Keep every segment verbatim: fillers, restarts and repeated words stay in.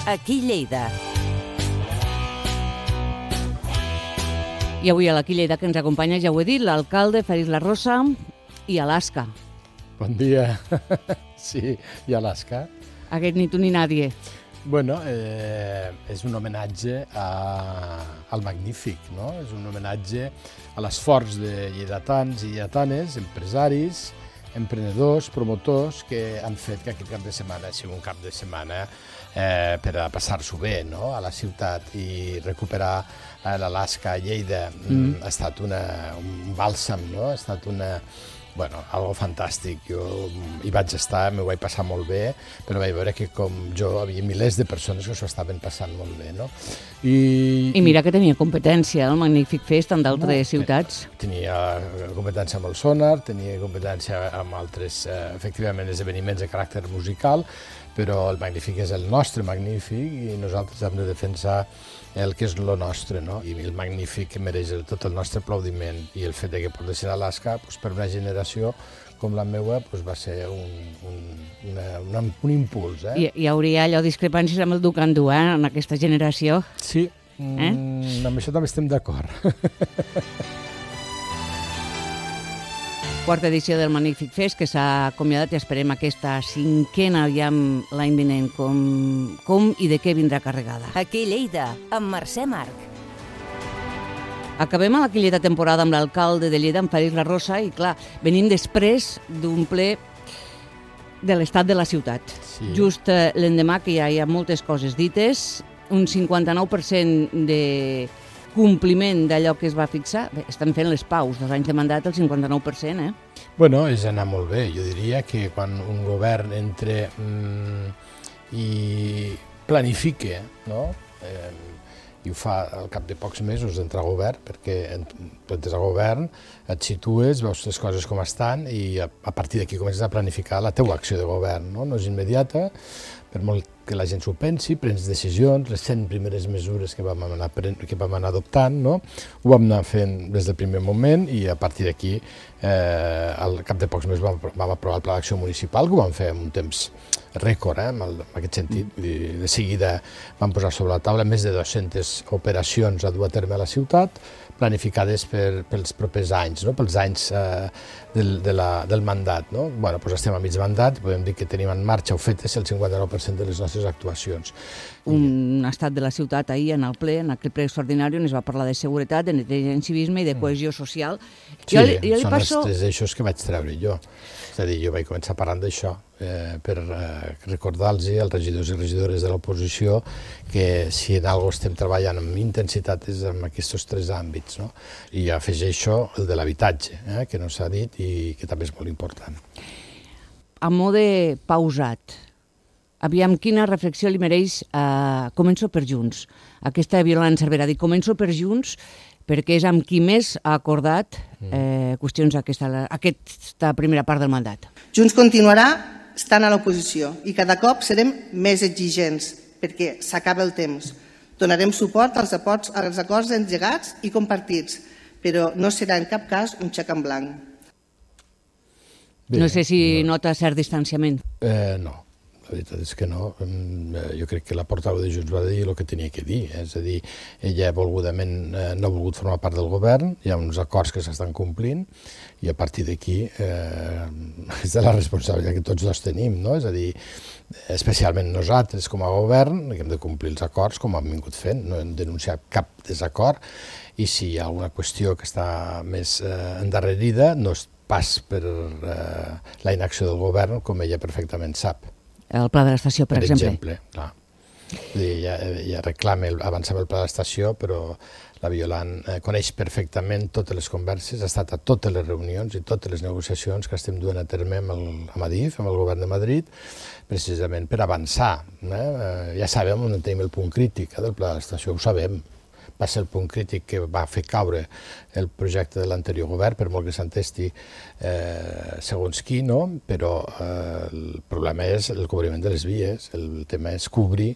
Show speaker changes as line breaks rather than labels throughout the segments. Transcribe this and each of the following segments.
aquí Lleida.
I avui a l'Aquí Lleida que ens acompanya, ja ho he dit, l'alcalde Fèlix Larrosa i Alaska.
Bon dia. Sí, i Alaska.
Aquest ni tu ni nadie.
Bueno, eh, és un homenatge a, al magnífic, no? És un homenatge a l'esforç de lleidatans i lleidatanes, empresaris, emprenedors, promotors, que han fet que aquest cap de setmana sigui un cap de setmana eh, per a passar-s'ho bé, no? A la ciutat, i recuperar eh, l'Alaska a Lleida mm. ha estat una, un bàlsam, no? Ha estat una... Bueno, algo fantàstic. Jo hi vaig estar, m'ho vaig passar molt bé, però vaig veure que com jo hi havia milers de persones que s'ho estaven passant molt bé, no?
I, I mira que tenia competència, el Magnífic Fest, en d'altres ciutats.
Tenia competència amb el sonar, tenia competència amb altres, eh, efectivament, esdeveniments de caràcter musical, però el Magnífic és el nostre Magnífic i nosaltres hem de defensar el que és el nostre, no? I el Magnífic mereix tot el nostre aplaudiment, i el fet que porti ser a Alaska, doncs, per una generació com la meva, doncs, va ser un, un, una, una, un impuls. Eh?
I, hi hauria allò discrepàncies amb el Ducandú, eh, en aquesta generació.
Sí, eh? mm, amb això també estem d'acord.
Quarta edició del Magnífic Fest, que s'ha acomiadat, i esperem aquesta cinquena aviam l'any vinent, com, com i de què vindrà carregada.
Aquí Lleida, amb Mercè Marc.
Acabem a l'Aquí Lleida temporada amb l'alcalde de Lleida, amb Fèlix Larrosa, i clar, venim després d'un ple de l'estat de la ciutat.
Sí.
Just eh, l'endemà, que ja hi ha moltes coses dites, un cinquanta-nou per cent de compliment d'allò que es va fixar. Bé, estan fent les paus, dos anys de mandat, el cinquanta-nou per cent, eh?
Bueno, és anar molt bé. Jo diria que quan un govern entre mm, i planifique, no? Eh, i ho fa al cap de pocs mesos d'entrar a govern, perquè tu entres a govern, et situes, veus les coses com estan, i a, a partir d'aquí comences a planificar la teua acció de govern, no? No és immediata, per molt que la gent s'ho pensi, prens decisions, les cent primeres mesures que vam anar, que vam anar adoptant, no? Ho vam anar fent des del primer moment, i a partir d'aquí, eh, al cap de pocs mesos vam, vam aprovar el pla d'acció municipal, que ho vam fer en un temps rècord, eh, en, el, en aquest sentit. Vull dir, de seguida vam posar sobre la taula més de dues-centes operacions a dur a terme a la ciutat, planificades per, pels propers anys, no? Pels anys eh, del, de la, del mandat. No? Bueno, doncs estem a mig mandat, podem dir que tenim en marxa o fetes el cinquanta-nou per cent de les nostres actuacions.
Un estat de la ciutat ahir en el ple, en aquell ple extraordinari, on es va parlar de seguretat, de neteja i civisme i de cohesió social.
Sí, jo li, jo li són passo... els tres eixos que vaig treure jo. És a dir, jo vaig començar parlant d'això, eh, per eh, recordar-los als regidors i regidores de l'oposició que si en alguna cosa estem treballant amb intensitat és en aquests tres àmbits, no? I afegeixo el de l'habitatge, eh, que no s'ha dit i que també és molt important.
A mode pausat, aviam quina reflexió li mereix, eh, començo per Junts. Aquesta Violant Cervera ha dit, començo per Junts, perquè és amb qui més ha acordat eh, qüestions aquesta, aquesta primera part del mandat.
Junts continuarà estant a l'oposició i cada cop serem més exigents perquè s'acaba el temps. Donarem suport als acords, als acords engegats i compartits, però no serà en cap cas un xec en blanc.
Bé,
no sé si
no.
nota cert distanciament.
Eh, no. La veritat és que no. Jo crec que la portaveu de Junts va dir el que tenia que dir. És a dir, ella volgudament no ha volgut formar part del govern, hi ha uns acords que s'estan complint, i a partir d'aquí eh, és de la responsabilitat que tots dos tenim, no? És a dir, especialment nosaltres com a govern, que hem de complir els acords com hem vingut fent, no hem denunciat cap desacord, i si hi ha alguna qüestió que està més eh, endarrerida, no és pas per eh, la inacció del govern, com ella perfectament sap.
El pla de l'estació, per,
per
exemple.
exemple, clar. Ja, ja reclama el, avançar el pla de l'estació, però la Violant eh, coneix perfectament totes les converses, ha estat a totes les reunions i totes les negociacions que estem duent a terme amb el, amb Adif, amb el govern de Madrid, precisament per avançar. Eh? Ja sabem on tenim el punt crític eh, del pla de l'estació, ho sabem. Va ser el punt crític que va fer caure el projecte de l'anterior govern, per molt que s'entesti eh, segons qui, no? Però eh, el problema és el cobriment de les vies, el tema és cobrir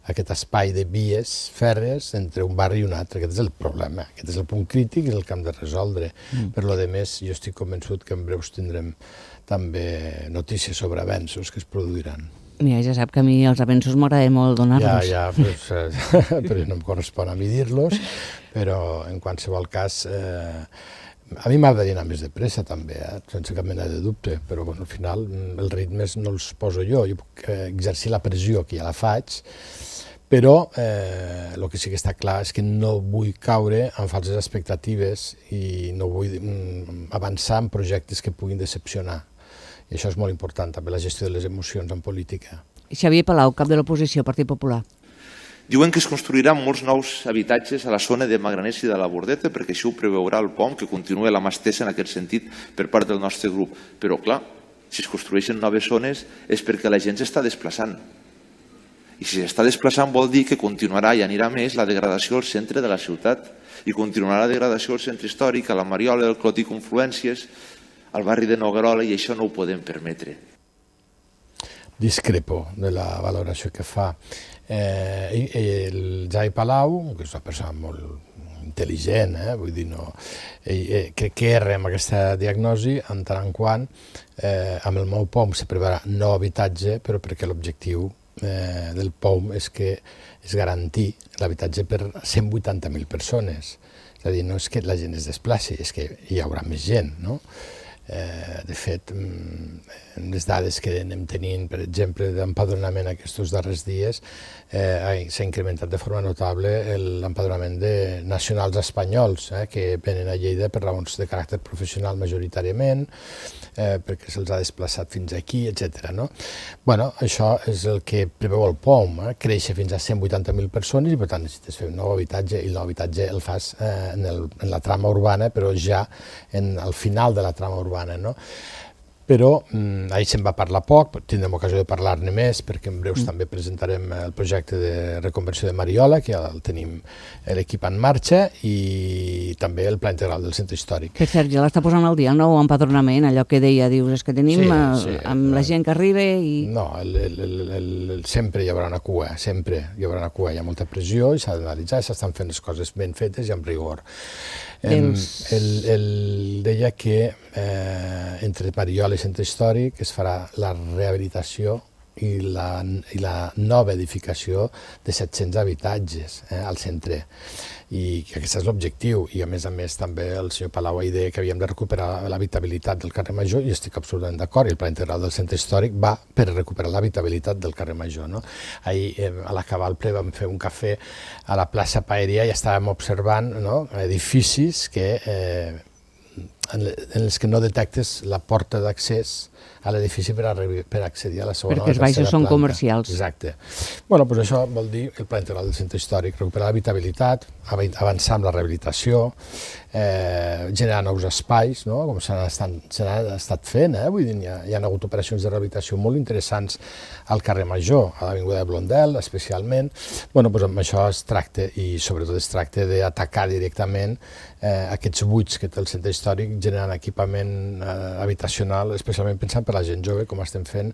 aquest espai de vies fèrries entre un barri i un altre. Aquest és el problema, aquest és el punt crític i el que hem de resoldre. Mm. Per lo de més, jo estic convençut que en breus tindrem també notícies sobre avenços que es produiran.
Mira, ja sap que a mi els avenços m'agrada molt donar-los.
Ja, ja, pues, eh, però no em correspon a mi dir-los, però en qualsevol cas, eh, a mi m'agradaria anar més de pressa també, eh, sense cap mena de dubte, però bueno, al final els ritmes no els poso jo, jo puc eh, exercir la pressió que ja la faig, però eh, el que sí que està clar és que no vull caure en falses expectatives i no vull mm, avançar en projectes que puguin decepcionar. I això és molt important, també la gestió de les emocions en política.
Xavier Palau, cap de l'oposició, Partit Popular.
Diuen que es construiran molts nous habitatges a la zona de Magraners i de la Bordeta perquè això ho preveurà el P O M, que continua la mà estesa en aquest sentit per part del nostre grup. Però, clar, si es construeixen noves zones és perquè la gent s'està desplaçant. I si s'està desplaçant vol dir que continuarà i anirà més la degradació al centre de la ciutat i continuarà la degradació al centre històric, a la Mariola, al Clot i Confluències, al barri de Noguerola, i això no ho podem permetre.
Discrepo de la valoració que fa. Eh, el Jai Palau, que és una persona molt intel·ligent, eh, vull dir, no, eh, crec que erra amb aquesta diagnosi en tant en quant eh, amb el nou P O M se preveurà nou habitatge, però perquè l'objectiu eh, del P O M és que és garantir l'habitatge per cent vuitanta mil persones. És a dir, no és que la gent es desplaci, és que hi haurà més gent, no? Eh, de fet, les dades que anem tenint, per exemple, d'empadronament aquests darrers dies, eh, s'ha incrementat de forma notable l'empadronament de nacionals espanyols, eh, que venen a Lleida per raons de caràcter professional majoritàriament, eh, perquè se'ls ha desplaçat fins aquí, etcètera. No? Bueno, això és el que preveu el P O M, eh, créixer fins a cent vuitanta mil persones i, per tant, necessites fer un nou habitatge, i el nou habitatge el fas eh, en, el, en la trama urbana, però ja en, al final de la trama urbana. No? Però mm, ahir se'n va parlar poc, tindrem ocasió de parlar-ne més, perquè en breus mm. també presentarem el projecte de reconversió de Mariola, que ja el tenim l'equip en marxa, i també el pla integral del centre històric.
Que Sergi l'està posant al dia, el nou empadronament, allò que deia, dius, és que tenim sí, sí, amb la gent que arriba i...
No, el, el, el, el, sempre hi haurà una cua, sempre hi haurà una cua, hi ha molta pressió i s'ha d'analitzar, s'estan fent les coses ben fetes i amb rigor. El, el, el deia que eh, entre Mariola i centre històric es farà la rehabilitació i la, i la nova edificació de set-cents habitatges eh, al centre, i que aquest és l'objectiu. I a més a més també el senyor Palau ahir deia que havíem de recuperar l'habitabilitat del carrer Major, i estic absolutament d'acord, i el pla integral del centre històric va per recuperar l'habitabilitat del carrer Major. No? Ahir eh, a l'acabar el ple vam fer un cafè a la plaça Paeria i estàvem observant, no, edificis que eh, en els que no detectes la porta d'accés a l'edifici per, per accedir a la segona o la tercera planta. Perquè els baixos són
comercials.
Exacte. Bueno, doncs això vol dir el pla integral del centre històric, recuperar l'habitabilitat, avançar amb la rehabilitació, eh, generar nous espais, no? Com s'han estat, estat fent, eh? Vull dir, hi ha, hi ha hagut operacions de rehabilitació molt interessants al carrer Major, a l'avinguda de Blondel, especialment. Bueno, doncs amb això es tracta, i sobretot es tracta d'atacar directament eh, aquests buits que té el centre històric, generant equipament eh, habitacional, especialment pensant per la gent jove, com estem fent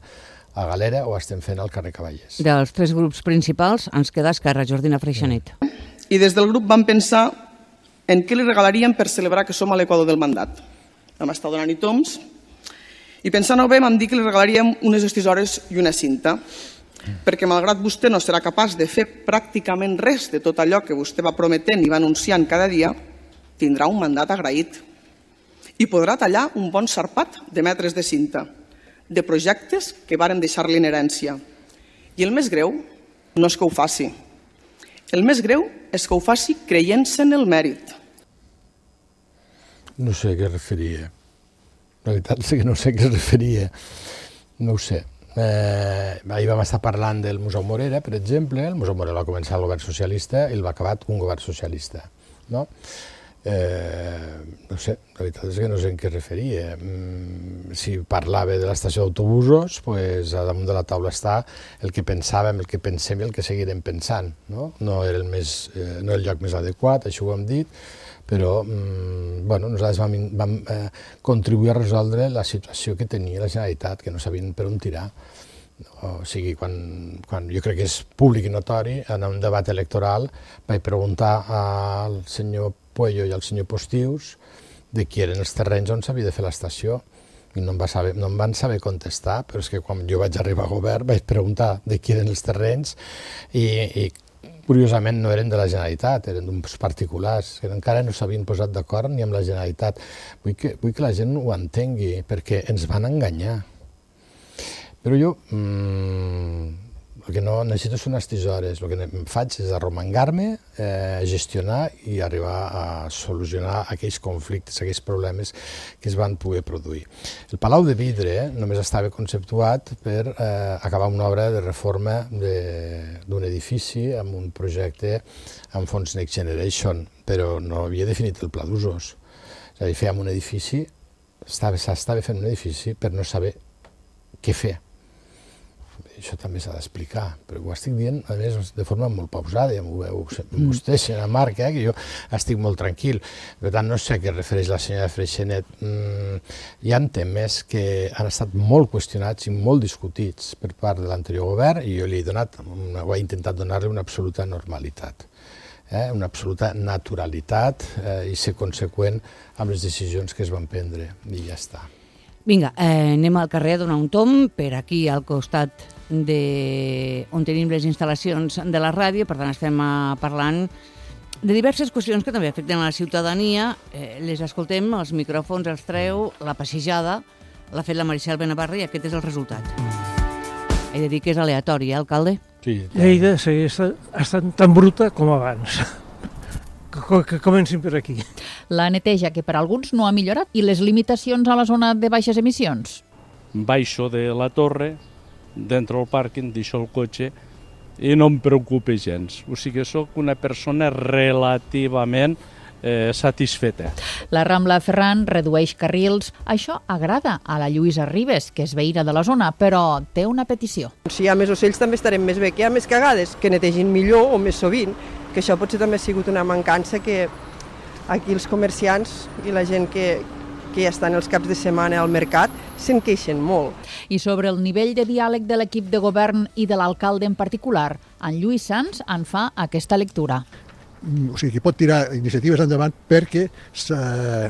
a Galera o estem fent al carrer Cavallers.
Dels tres grups principals ens queda Esquerra, Jordina Freixanet.
I des del grup vam pensar en què li regalaríem per celebrar que som a l'equador del mandat. Vam estar donant-hi toms i pensant-ho bé vam dir que li regalaríem unes estisores i una cinta, perquè malgrat vostè no serà capaç de fer pràcticament res de tot allò que vostè va prometent i va anunciant cada dia, tindrà un mandat agraït i podrà tallar un bon sarpat de metres de cinta, de projectes que varen deixar-li en herència. I el més greu no és que ho faci. El més greu és que ho faci creient-se en el mèrit.
No sé a què es referia. La veritat és que no sé a què es referia. No ho sé. Eh, ahir vam estar parlant del Museu Morera, per exemple. El Museu Morera va començar el govern socialista i el va acabar un govern socialista. No? Eh, no sé, la veritat és que no sé en què es referia. Mm, si parlava de l'estació d'autobusos, pues, a damunt de la taula està el que pensàvem, el que pensem i el que seguirem pensant. No, no era el, més, eh, no era el lloc més adequat, això ho hem dit, però mm, bueno, nosaltres vam, vam eh, contribuir a resoldre la situació que tenia la Generalitat, que no sabien per on tirar. O sigui, quan, quan jo crec que és públic i notori, en un debat electoral vaig preguntar al senyor Puello i al senyor Postius de qui eren els terrenys on s'havia de fer l'estació, i no em, va saber, no em van saber contestar, però és que quan jo vaig arribar a govern vaig preguntar de qui eren els terrenys i, i curiosament no eren de la Generalitat, eren d'uns particulars, que encara no s'havien posat d'acord ni amb la Generalitat. Vull que, vull que la gent ho entengui, perquè ens van enganyar. Però jo, mmm, el que no necessito són unes tisores, el que em faig és arromangar-me, eh, gestionar i arribar a solucionar aquells conflictes, aquells problemes que es van poder produir. El Palau de Vidre eh, només estava conceptuat per eh, acabar una obra de reforma d'un edifici amb un projecte amb fons Next Generation, però no havia definit el pla d'usos. És a dir, fèiem un edifici, s'estava fent un edifici per no saber què fer. Això també s'ha d'explicar, però ho estic dient, a més, de forma molt pausada, ja m'ho veu vostè, senyora Marc, eh, que jo estic molt tranquil. Per tant, no sé a què refereix la senyora Freixenet. Mm, hi ha temes que han estat molt qüestionats i molt discutits per part de l'anterior govern i jo li he donat, una, ho he intentat donar-li una absoluta normalitat, eh, una absoluta naturalitat eh, i ser conseqüent amb les decisions que es van prendre, i ja està.
Vinga, eh, anem al carrer a donar un tom, per aquí al costat de on tenim les instal·lacions de la ràdio, per tant estem uh, parlant de diverses qüestions que també afecten a la ciutadania, eh, les escoltem, els micròfons els treu, la passejada l'ha fet la Maricel Benavarra i aquest és el resultat. He de dir que és aleatori, eh, alcalde?
Sí.
Lleida segueix estant tan bruta com abans. Que comencin per aquí.
La neteja, que per alguns no ha millorat, i les limitacions a la zona de baixes emissions.
Baixo de la torre, dentro del pàrquing, deixo el cotxe i no em preocupa gens. O sigui, soc una persona relativament eh, satisfeta.
La Rambla Ferran redueix carrils. Això agrada a la Lluïsa Ribes, que és veïna de la zona, però té una petició.
Si hi ha més ocells també estarem més bé, que hi ha més cagades, que netegin millor o més sovint, que això potser també ha sigut una mancança que aquí els comerciants i la gent que, que ja estan els caps de setmana al mercat se'n queixen molt.
I sobre el nivell de diàleg de l'equip de govern i de l'alcalde en particular, en Lluís Sans en fa aquesta lectura.
O sigui, que pot tirar iniciatives endavant perquè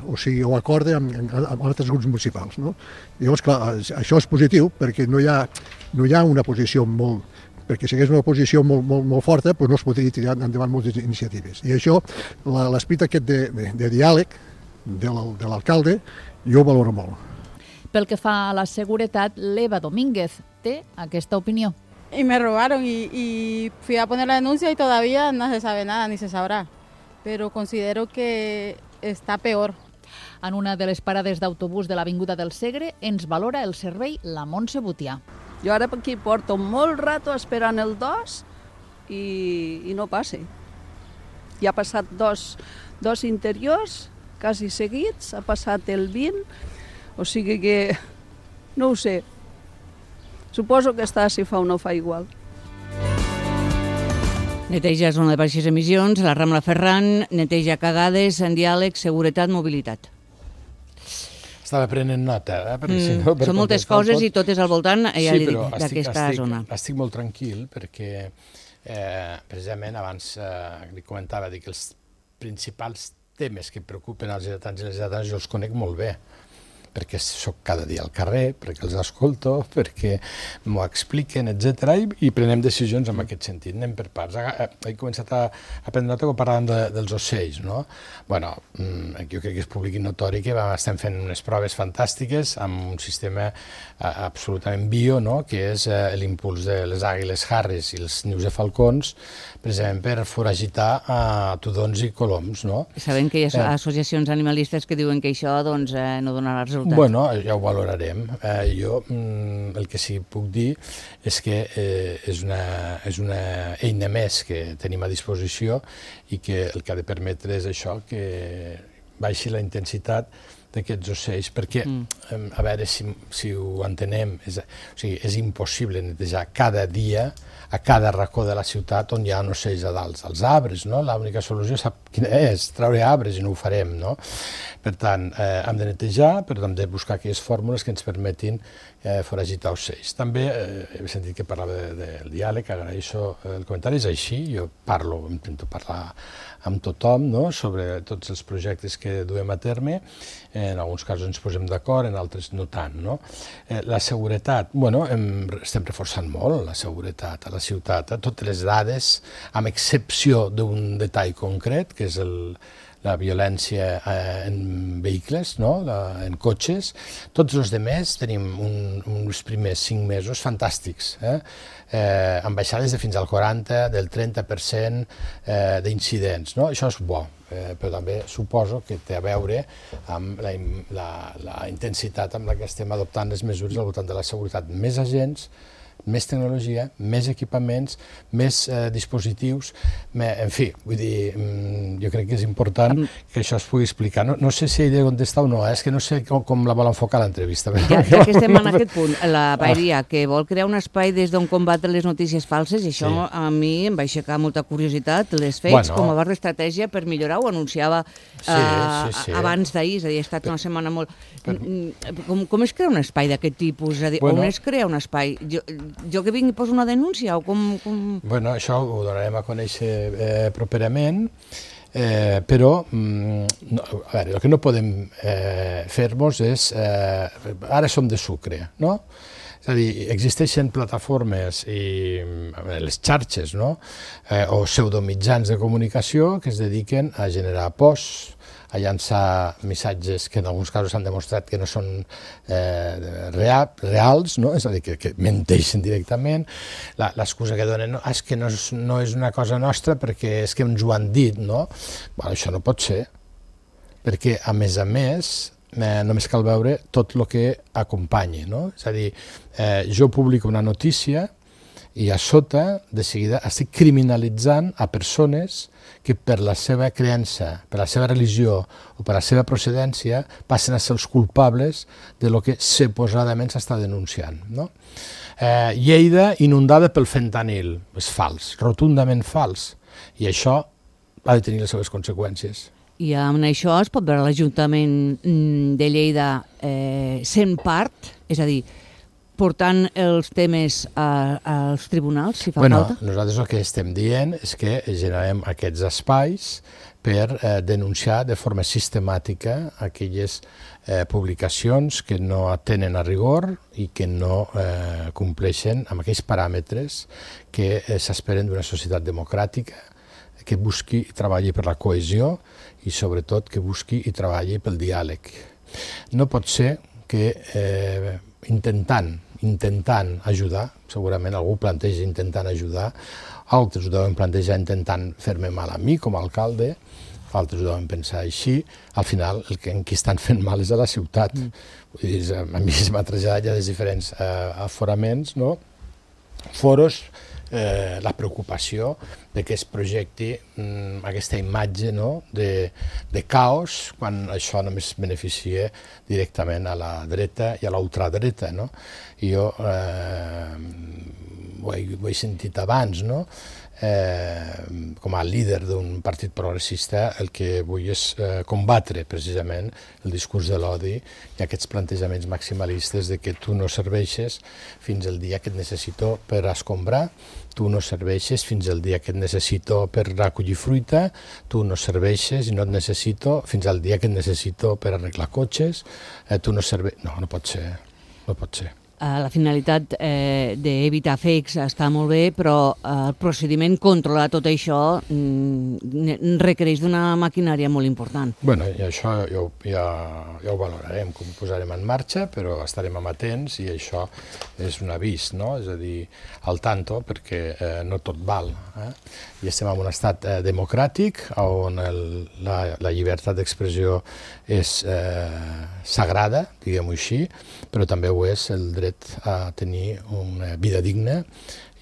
o sigui, ho acorde amb, amb altres grups municipals. No? Llavors, clar, això és positiu perquè no hi ha, no hi ha una posició molt... perquè si hagués una posició molt, molt, molt forta doncs no es podria tirar endavant moltes iniciatives. I això, l'esperit aquest de, de, de diàleg de l'alcalde, jo ho valoro molt.
Pel que fa a la seguretat, l'Eva Domínguez té aquesta opinió.
Y me robaron y, y fui a poner la denuncia y todavía no se sabe nada ni se sabrá, pero considero que está peor.
En una de les parades d'autobús de l'Avinguda del Segre ens valora el servei la Montse Butià.
Jo ara aquí porto molt rato esperant el dos i, i no passe. Ja ha passat dos, dos interiors, quasi seguits, ha passat el vint, o sigui que no ho sé. Suposo que està si fa o no fa igual.
Neteja zona de baixes emissions, la Rambla Ferran, neteja cagades, en diàleg, seguretat, mobilitat.
Estava prenent nota, eh? Perquè,
Mm,
si no, per
són moltes
contestar
coses
tot...
i totes al voltant, ja
sí,
li dic,
però estic,
d'aquesta
estic,
zona.
Estic molt tranquil perquè, eh, precisament, abans eh, li comentava que els principals temes que preocupen als lleidatans i les lleidatanes jo els conec molt bé, perquè soc cada dia al carrer, perquè els escolto, perquè m'ho expliquen, etcètera, i, i prenem decisions en aquest sentit. Anem per parts. He començat a, a prendre nota quan parlàvem de, dels ocells, no? Bueno, jo crec que és públic i notori que estem fent unes proves fantàstiques amb un sistema absolutament bio, no? Que és l'impuls de les àguiles harris i els nius de falcons, precisament per foragitar a tudons i coloms, no?
Sabem que hi ha associacions animalistes que diuen que això doncs, eh, no donarà resultat.
Bueno, ja ho valorarem. Eh, jo mm, el que sí que puc dir és que eh, és, una, és una eina més que tenim a disposició i que el que ha de permetre és això, que baixi la intensitat d'aquests ocells, perquè, mm. a veure si, si ho entenem, és, o sigui, és impossible netejar cada dia a cada racó de la ciutat on hi ha ocells a dalt, als arbres, no? L'única solució sap quina és, treure arbres, i no ho farem, no? Per tant, eh, hem de netejar, però hem de buscar aquelles fórmules que ens permetin eh, foragitar ocells. També eh, he sentit que parlava del de, de diàleg, agraeixo el comentari, és així, jo parlo, intento parlar amb tothom, no?, sobre tots els projectes que duem a terme, en alguns casos ens posem d'acord, en altres no tant, no? Eh, la seguretat, bueno, hem, estem reforçant molt la seguretat a la ciutat, eh? Totes les dades, amb excepció d'un detall concret, que és el, la violència eh, en vehicles, no?, la, en cotxes. Tots els demés tenim un, uns primers cinc mesos fantàstics, eh? Eh, amb baixades de fins al quaranta, del trenta per cent eh, d'incidents, no? Això és bo, eh, però també suposo que té a veure amb la, la, la intensitat amb la que estem adoptant les mesures al voltant de la seguretat. Més agents, més tecnologia, més equipaments, més eh, dispositius, me, en fi, vull dir, jo crec que és important que això es pugui explicar. No, no sé si he de contestar o no, eh? És que no sé com, com la vol enfocar l'entrevista.
Ja, ja que estem en aquest punt, la Paeria, que vol crear un espai des d'on combatre les notícies falses, i això sí. A mi em va aixecar molta curiositat, les fets, bueno. Com a barra d'estratègia per millorar, ho anunciava sí, uh, sí, sí. abans d'ahir, és a dir, ha estat una setmana molt... Però... Com, com es crea un espai d'aquest tipus? És a dir, bueno. On es crea un espai? Jo, jo que vinc i poso una denúncia o com... com...
Bueno, això ho donarem a conèixer eh, properament, eh, però mm, no, a veure, el que no podem eh, fer-nos és... Eh, ara som de sucre, no? És a dir, existeixen plataformes i les xarxes, no?, eh, o pseudomitjans de comunicació que es dediquen a generar posts, a llançar missatges que en alguns casos s'han demostrat que no són eh, real, reals, no? És a dir, que, que menteixen directament. L'excusa que donen no, és que no és, no és una cosa nostra perquè és que ens ho han dit, no? Bueno, això no pot ser, perquè a més a més eh, només cal veure tot el que acompanyi, no? És a dir, eh, jo publico una notícia i a sota, de seguida, estic criminalitzant a persones que per la seva creença, per la seva religió o per la seva procedència passen a ser els culpables de lo que suposadament s'està denunciant, no? Eh, Lleida inundada pel fentanil. És fals, rotundament fals. I això ha de tenir les seves conseqüències.
I amb això es pot veure l'Ajuntament de Lleida eh, sent part, és a dir, portant els temes a, als tribunals, si fa
bueno,
falta?
Nosaltres el que estem dient és que generem aquests espais per eh, denunciar de forma sistemàtica aquelles eh, publicacions que no atenen a rigor i que no eh, compleixen amb aquells paràmetres que eh, s'esperen d'una societat democràtica, que busqui i treballi per la cohesió i sobretot que busqui i treballi pel diàleg. No pot ser que eh, intentant intentant ajudar, segurament algú planteja intentant ajudar, altres ho deuen plantejar intentant fer-me mal a mi com a alcalde, altres ho deuen pensar així, al final el que en qui estan fent mal és a la ciutat. Mm. A mi es m'ha traslladat ja des diferents eh, aforaments, no? Foros, eh, la preocupació de que es projecti mm, aquesta imatge, no?, de, de caos, quan això només beneficia directament a la dreta i a la ultradreta, no? I jo eh, ho, he, ho he sentit abans, no? Eh, com a líder d'un partit progressista el que vull és eh, combatre precisament el discurs de l'odi i aquests plantejaments maximalistes de que tu no serveixes fins el dia que et necessito per escombrar, tu no serveixes fins al dia que et necessito per recollir fruita, tu no serveixes i no et necessito fins al dia que et necessito per arreglar cotxes, eh, tu no serveixes... No, no pot ser, no pot ser.
La finalitat eh, d'evitar fakes està molt bé, però eh, el procediment controlar tot això mm, requereix d'una maquinària molt important.
Bueno, i això ja, ja, ja ho valorarem, com ho posarem en marxa, però estarem amatents i això és un avís, no? És a dir, al tanto, perquè eh, no tot val. Eh? I estem en un estat eh, democràtic on el, la, la llibertat d'expressió és eh, sagrada, diguem-ho així, però també ho és el dret a tenir una vida digna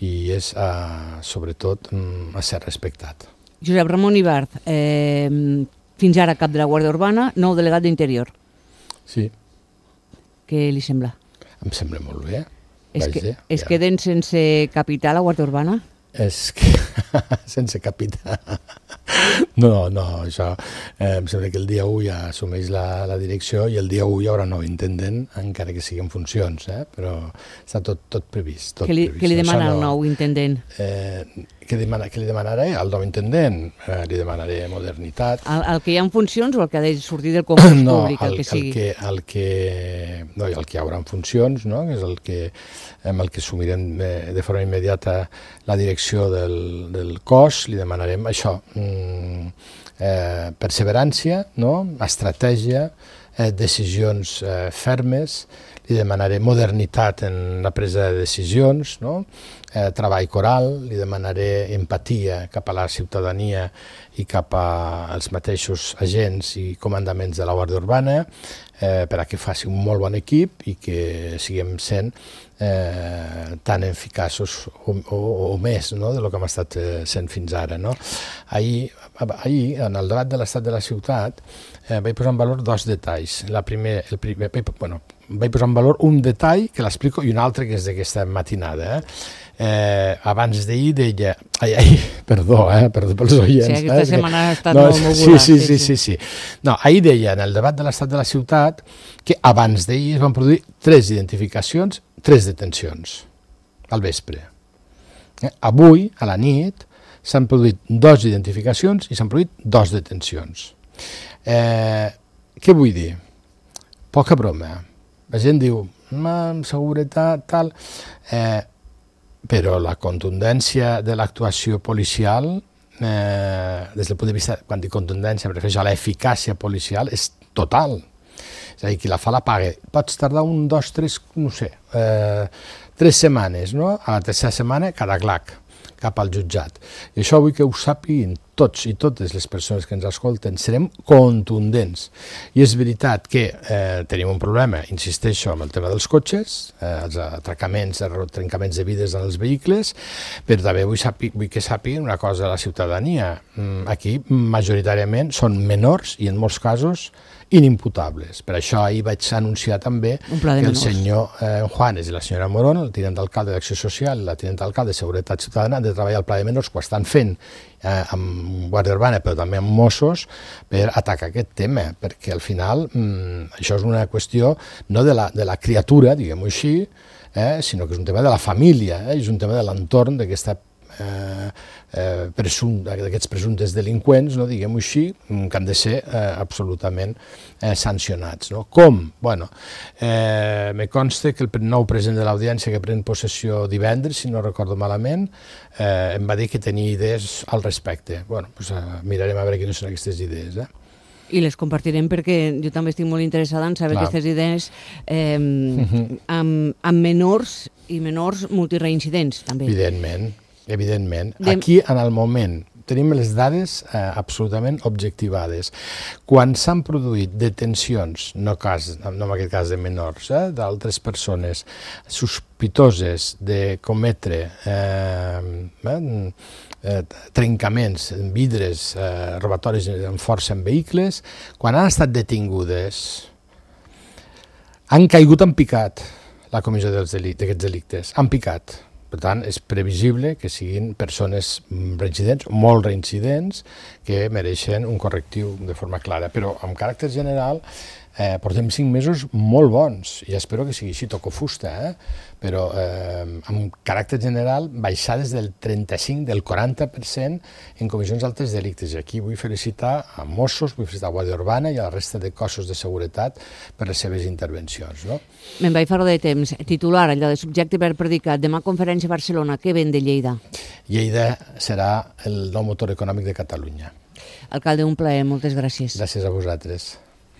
i és, a, sobretot, a ser respectat.
Josep Ramon Ibart, eh, fins ara cap de la Guàrdia Urbana, nou delegat d'Interior.
Sí.
Què li sembla?
Em sembla molt bé.
Es, que, es ja. queden sense capità la Guàrdia Urbana?
És que sense capità. No, no, això eh, em sembla que el dia u ja assumeix la, la direcció i el dia u hi haurà nou intendent, encara que sigui en funcions, eh? Però està tot, tot previst. Tot
què, li,
previst.
què li demana
no,
el nou intendent?
Eh, què, demana, què li demanaré al nou intendent? Eh, li demanaré modernitat.
El, el que hi ha en funcions o el que ha de sortir del concurs
no,
públic, el,
el
que sigui?
El que, el que, no, el que hi haurà en funcions, no? Que és el que, amb el que assumirem de forma immediata la direcció del, del cos, li demanarem això, mm, eh, perseverància, no? Estratègia, eh, decisions eh, fermes, li demanaré modernitat en la presa de decisions, no? eh, treball coral, li demanaré empatia cap a la ciutadania i cap als mateixos agents i comandaments de la Guàrdia Urbana, eh, per a que faci un molt bon equip i que siguem sent eh, tan eficaços o, o, o més, no?, de lo que hem estat eh, sent fins ara. No? Ahir, ahir, en el debat de l'estat de la ciutat, eh, vaig posar en valor dos detalls. La primer, el primer, bueno, vaig posar en valor un detall que l'explico i un altre que és d'aquesta matinada. Eh? Eh, abans d'ahir deia... Ai, ai, perdó, eh, perdó pels oients.
Sí, aquesta
eh,
setmana ha estat
no,
molt moguda.
Sí, sí, sí, sí, sí. No, ahir deia, en el debat de l'estat de la ciutat, que abans d'ahir es van produir tres identificacions, tres detencions, al vespre. Eh? Avui, a la nit, s'han produït dues identificacions i s'han produït dues detencions. Eh, què vull dir? Poca broma. La gent diu, amb seguretat, tal... Eh, però la contundència de l'actuació policial, eh, des del punt de vista, quan dic contundència, em refereixo a l'eficàcia policial, és total. És a dir, qui la fa la paga. Pots tardar un, dos, tres, no sé, eh, tres setmanes, no? A la tercera setmana, cada clac, cap al jutjat. I això vull que ho sàpiguin tots i totes les persones que ens escolten. Serem contundents. I és veritat que eh, tenim un problema, insisteixo, amb el tema dels cotxes, eh, els atracaments, els trencaments de vides en els vehicles, però també vull, sapi, vull que sàpiguen una cosa de la ciutadania. Aquí, majoritàriament, són menors i, en molts casos, inimputables. Per això ahir vaig anunciar també que el senyor eh, Juanes i la senyora Morón, el tinent d'alcalde d'Acció Social i la tinent d'alcalde de Seguretat Ciutadana, han de treballar al Pla de Menors, que ho estan fent eh, amb Guàrdia Urbana, però també amb Mossos, per atacar aquest tema, perquè al final mm, això és una qüestió no de la, de la criatura, diguem-ho així, eh, sinó que és un tema de la família, eh, és un tema de l'entorn d'aquesta Eh, eh, presum, d'aquests presumptes delinqüents, no, diguem-ho així, que han de ser eh, absolutament eh, sancionats. No? Com? Bueno, eh, me consta que el nou president de l'Audiència, que pren possessió divendres, si no recordo malament, eh, em va dir que tenia idees al respecte. Bueno, pues, eh, mirarem a veure quines són aquestes idees. Eh?
I les compartirem perquè jo també estic molt interessada en saber Clar. aquestes idees eh, uh-huh. amb, amb menors i menors multireincidents, també.
Evidentment. Evidentment. Aquí, en el moment, tenim les dades eh, absolutament objectivades. Quan s'han produït detencions, no, cas, no en aquest cas de menors, eh, d'altres persones sospitoses de cometre eh, eh, trencaments, vidres, eh, robatoris amb força en vehicles, quan han estat detingudes, han caigut en picat la comissió d'aquests delictes, han picat. Per tant, és previsible que siguin persones reincidents, molt reincidents, que mereixen un correctiu de forma clara. Però, amb caràcter general, eh, portem cinc mesos molt bons, i espero que sigui així, toco fusta, eh? Però eh, amb caràcter general, baixades del trenta-cinc, del quaranta per cent en comissions d'altres delictes. I aquí vull felicitar a Mossos, vull felicitar a Guàrdia Urbana i a la resta de cossos de seguretat per les seves intervencions. No?
Me'n vaig fora de temps. Titular, allò de subjecte per predicat. Demà conferència a Barcelona. Què ven de Lleida?
Lleida serà el nou motor econòmic de Catalunya.
Alcalde, un plaer. Moltes gràcies.
Gràcies a vosaltres.